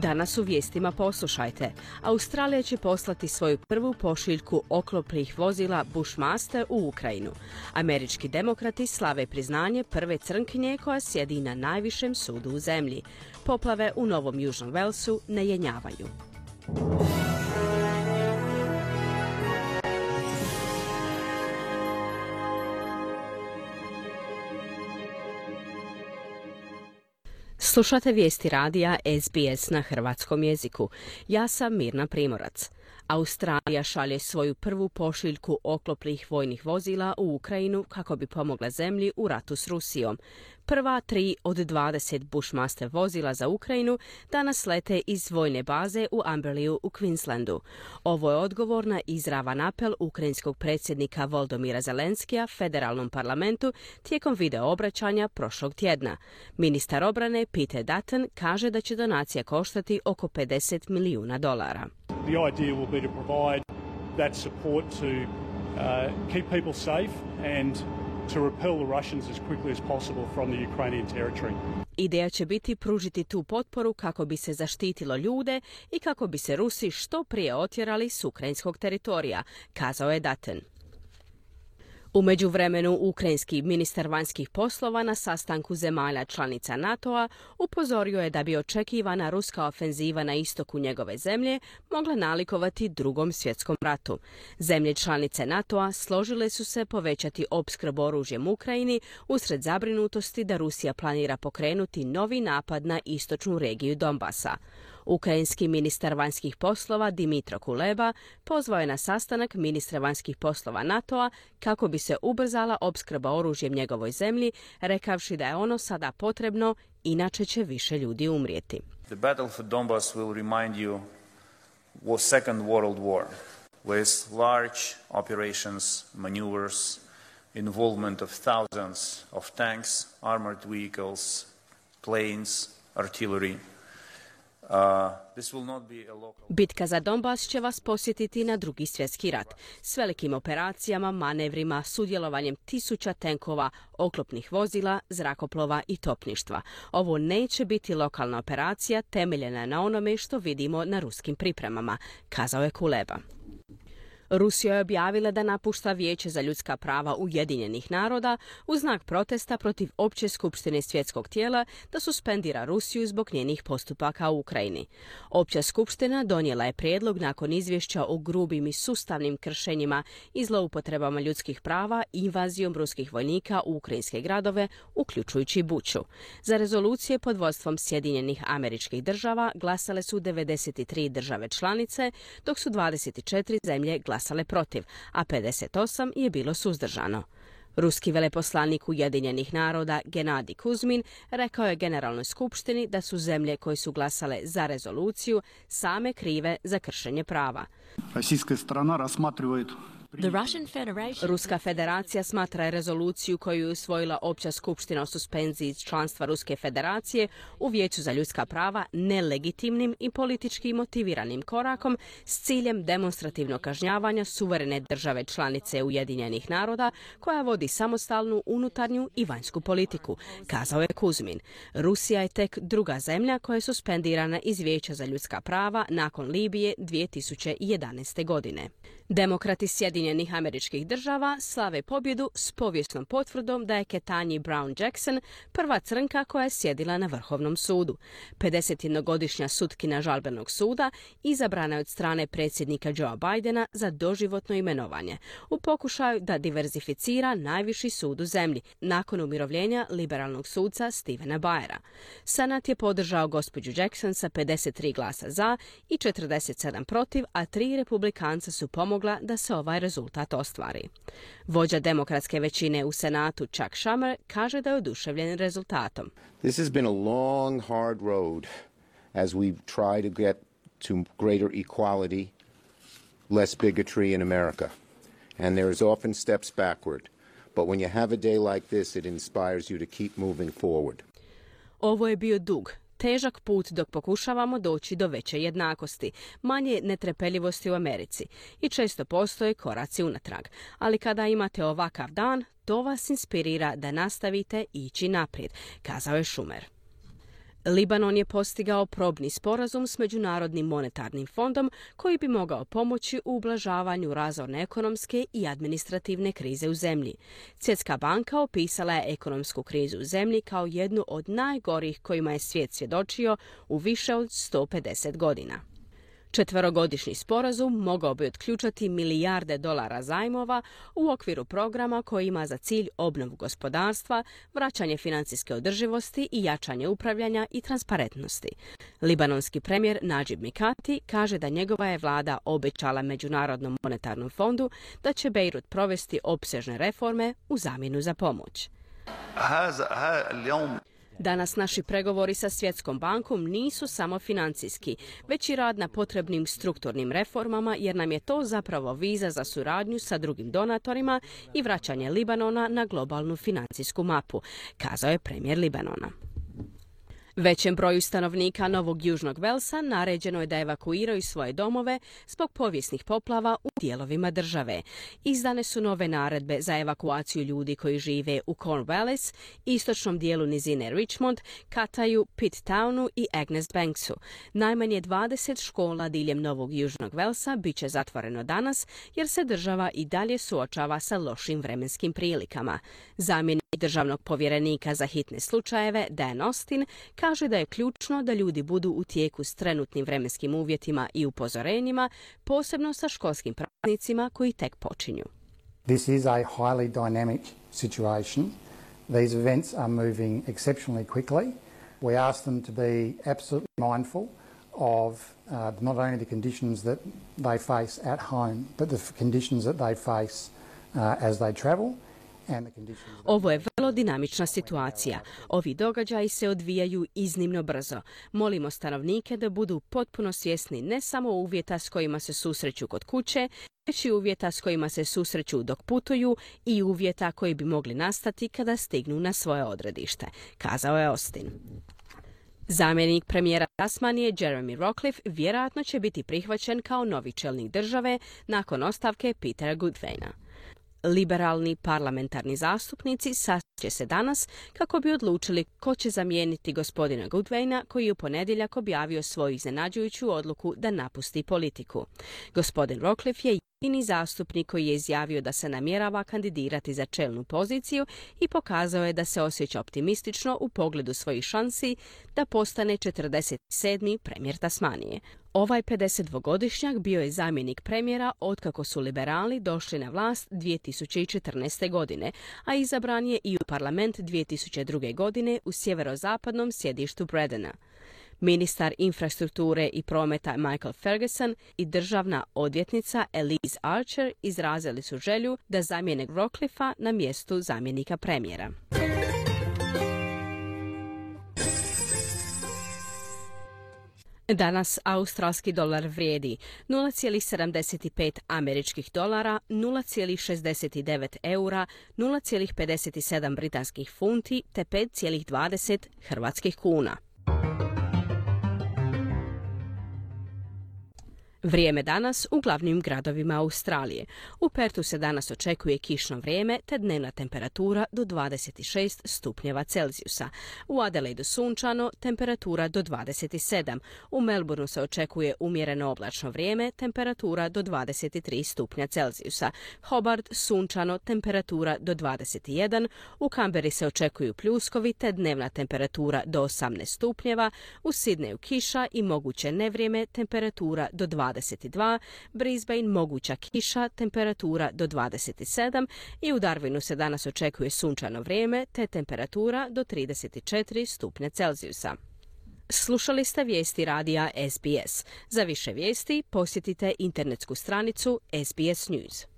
Danas u vijestima poslušajte. Australija će poslati svoju prvu pošiljku oklopnih vozila Bushmaster u Ukrajinu. Američki demokrati slave priznanje prve crnkinje koja sjedi na najvišem sudu u zemlji. Poplave u Novom Južnom Walesu ne jenjavaju. Slušate vijesti radija SBS na hrvatskom jeziku. Ja sam Mirna Primorac. Australija šalje svoju prvu pošiljku oklopnih vojnih vozila u Ukrajinu kako bi pomogla zemlji u ratu s Rusijom. Prva 3 od 20 Bushmaster vozila za Ukrajinu danas lete iz vojne baze u Amberleyu u Queenslandu. Ovo je odgovor na izravan apel ukrajinskog predsjednika Volodymyra Zelenskija federalnom parlamentu tijekom video obraćanja prošlog tjedna. Ministar obrane Peter Dutton kaže da će donacija koštati oko $50 milijuna. The idea will be to provide that support to keep people safe and to repel the Russians as quickly as possible from the Ukrainian territory. Ideja će biti pružiti tu potporu kako bi se zaštitilo ljude i kako bi se Rusi što prije otjerali s ukrajinskog teritorija, kazao je Dutton. U međuvremenu, ukrajinski ministar vanjskih poslova na sastanku zemalja članica NATO-a upozorio je da bi očekivana ruska ofenziva na istoku njegove zemlje mogla nalikovati Drugom svjetskom ratu. Zemlje članice NATO-a složile su se povećati opskrbu oružjem Ukrajini usred zabrinutosti da Rusija planira pokrenuti novi napad na istočnu regiju Donbasa. Ukrajinski ministar vanjskih poslova Dmytro Kuleba pozvao je na sastanak ministra vanjskih poslova NATO-a kako bi se ubrzala opskrba oružjem njegovoj zemlji, rekavši da je ono sada potrebno, inače će više ljudi umrijeti. The battle for Donbas will remind you was Second World War, with large operations, maneuvers, involvement of thousands of tanks, armored vehicles, planes, artillery. Bitka za Donbas će vas posjetiti na Drugi svjetski rat, s velikim operacijama, manevrima, sudjelovanjem tisuća tenkova, oklopnih vozila, zrakoplova i topništva. Ovo neće biti lokalna operacija temeljena na onome što vidimo na ruskim pripremama, kazao je Kuleba. Rusija je objavila da napušta Vijeće za ljudska prava Ujedinjenih naroda u znak protesta protiv Opće skupštine svjetskog tijela da suspendira Rusiju zbog njenih postupaka u Ukrajini. Opća skupština donijela je prijedlog nakon izvješća o grubim i sustavnim kršenjima i zloupotrebama ljudskih prava i invazijom ruskih vojnika u ukrajinske gradove, uključujući Buču. Za rezolucije pod vodstvom Sjedinjenih Američkih Država glasale su 93 države članice, dok su 24 zemlje glasale protiv, a 58 je bilo suzdržano. Ruski veleposlanik Ujedinjenih naroda Genadij Kuzmin rekao je Generalnoj skupštini da su zemlje koje su glasale za rezoluciju same krive za kršenje prava. Ruska federacija smatra rezoluciju koju je usvojila Opća skupština o suspenziji članstva Ruske federacije u Vijeću za ljudska prava nelegitimnim i politički motiviranim korakom s ciljem demonstrativnog kažnjavanja suverene države članice Ujedinjenih naroda koja vodi samostalnu unutarnju i vanjsku politiku, kazao je Kuzmin. Rusija je tek druga zemlja koja je suspendirana iz Vijeća za ljudska prava nakon Libije 2011. godine. Demokrati Sjedinjenih Američkih Država slave pobjedu s povijesnom potvrdom da je Ketanji Brown Jackson prva crnka koja je sjedila na Vrhovnom sudu. 51-godišnja sutkinja žalbenog suda izabrana je od strane predsjednika Joea Bidena za doživotno imenovanje u pokušaju da diverzificira najviši sud u zemlji nakon umirovljenja liberalnog suca Stephena Breyera. Senat je podržao gospođu Jackson sa 53 glasa za i 47 protiv, a 3 republikanca su pomogla da se ovaj rezultat ostvari. Vođa demokratske većine u Senatu Chuck Schumer kaže da je oduševljen rezultatom. This has been a long, hard road as we try to get to greater equality, less bigotry in America. And there is often steps backward. But when you have a day like this, it inspires you to keep moving forward. Ovo je bio dug, težak put dok pokušavamo doći do veće jednakosti, manje netrpeljivosti u Americi i često postoje koraci unatrag. Ali kada imate ovakav dan, to vas inspirira da nastavite ići naprijed, kazao je Schumer. Libanon je postigao probni sporazum s Međunarodnim monetarnim fondom koji bi mogao pomoći u ublažavanju razorne ekonomske i administrativne krize u zemlji. Svjetska banka opisala je ekonomsku krizu u zemlji kao jednu od najgorih kojima je svijet svjedočio u više od 150 godina. Četverogodišnji sporazum mogao bi otključati milijarde dolara zajmova u okviru programa koji ima za cilj obnovu gospodarstva, vraćanje financijske održivosti i jačanje upravljanja i transparentnosti. Libanonski premijer Najib Mikati kaže da njegova je vlada obećala Međunarodnom monetarnom fondu da će Bejrut provesti opsežne reforme u zamjenu za pomoć. Danas naši pregovori sa Svjetskom bankom nisu samo financijski, već i rad na potrebnim strukturnim reformama, jer nam je to zapravo viza za suradnju sa drugim donatorima i vraćanje Libanona na globalnu financijsku mapu, kazao je premijer Libanona. Većem broju stanovnika Novog Južnog Velsa naređeno je da evakuiraju svoje domove zbog povijesnih poplava u dijelovima države. Izdane su nove naredbe za evakuaciju ljudi koji žive u Cornwallis, istočnom dijelu nizine Richmond, Kataju, Pittownu i Agnes Banksu. Najmanje 20 škola diljem Novog Južnog Velsa bit će zatvoreno danas jer se država i dalje suočava sa lošim vremenskim prilikama. Zamjenik državnog povjerenika za hitne slučajeve Dan Austin kaže da je ključno da ljudi budu u tijeku s trenutnim vremenskim uvjetima i upozorenjima, posebno sa školskim praznicima koji tek počinju. This is a highly dynamic situation. These events are moving exceptionally quickly. We ask them to be absolutely mindful of not only the conditions that they face at home, but the conditions that they face as they travel. Ovo je vrlo dinamična situacija. Ovi događaji se odvijaju iznimno brzo. Molimo stanovnike da budu potpuno svjesni ne samo uvjeta s kojima se susreću kod kuće, već i uvjeta s kojima se susreću dok putuju i uvjeta koji bi mogli nastati kada stignu na svoje odredište, kazao je Austin. Zamjenik premijera Tasmanije Jeremy Rockliff vjerojatno će biti prihvaćen kao novi čelnik države nakon ostavke Petera Goodwina. Liberalni parlamentarni zastupnici sastaće se danas kako bi odlučili ko će zamijeniti gospodina Goodwina koji je u ponedjeljak objavio svoju iznenađujuću odluku da napusti politiku. Gospodin Rockliff je jedini zastupnik koji je izjavio da se namjerava kandidirati za čelnu poziciju i pokazao je da se osjeća optimistično u pogledu svojih šansi da postane 47. premijer Tasmanije. Ovaj 52-godišnjak bio je zamjenik premijera otkako su liberali došli na vlast 2014. godine, a izabran je i u parlament 2002. godine u sjeverozapadnom sjedištu Bredena. Ministar infrastrukture i prometa Michael Ferguson i državna odvjetnica Elise Archer izrazili su želju da zamijene Rockliffa na mjestu zamjenika premijera. Danas australski dolar vrijedi 0,75 američkih dolara, 0,69 eura, 0,57 britanskih funti te 5,20 hrvatskih kuna. Vrijeme danas u glavnim gradovima Australije. U Pertu se danas očekuje kišno vrijeme te dnevna temperatura do 26 stupnjeva Celzijusa. U Adelaidu sunčano, temperatura do 27. U Melbourneu se očekuje umjereno oblačno vrijeme, temperatura do 23 stupnja Celzijusa. Hobart sunčano, temperatura do 21. U Canberri se očekuju pljuskovi te dnevna temperatura do 18 stupnjeva. U Sydneyu kiša i moguće nevrijeme, temperatura do 22, Brisbane moguća kiša, temperatura do 27 i u Darwinu se danas očekuje sunčano vrijeme te temperatura do 34 stupnja Celzijusa. Slušali ste vijesti radija SBS. Za više vijesti posjetite internetsku stranicu SBS News.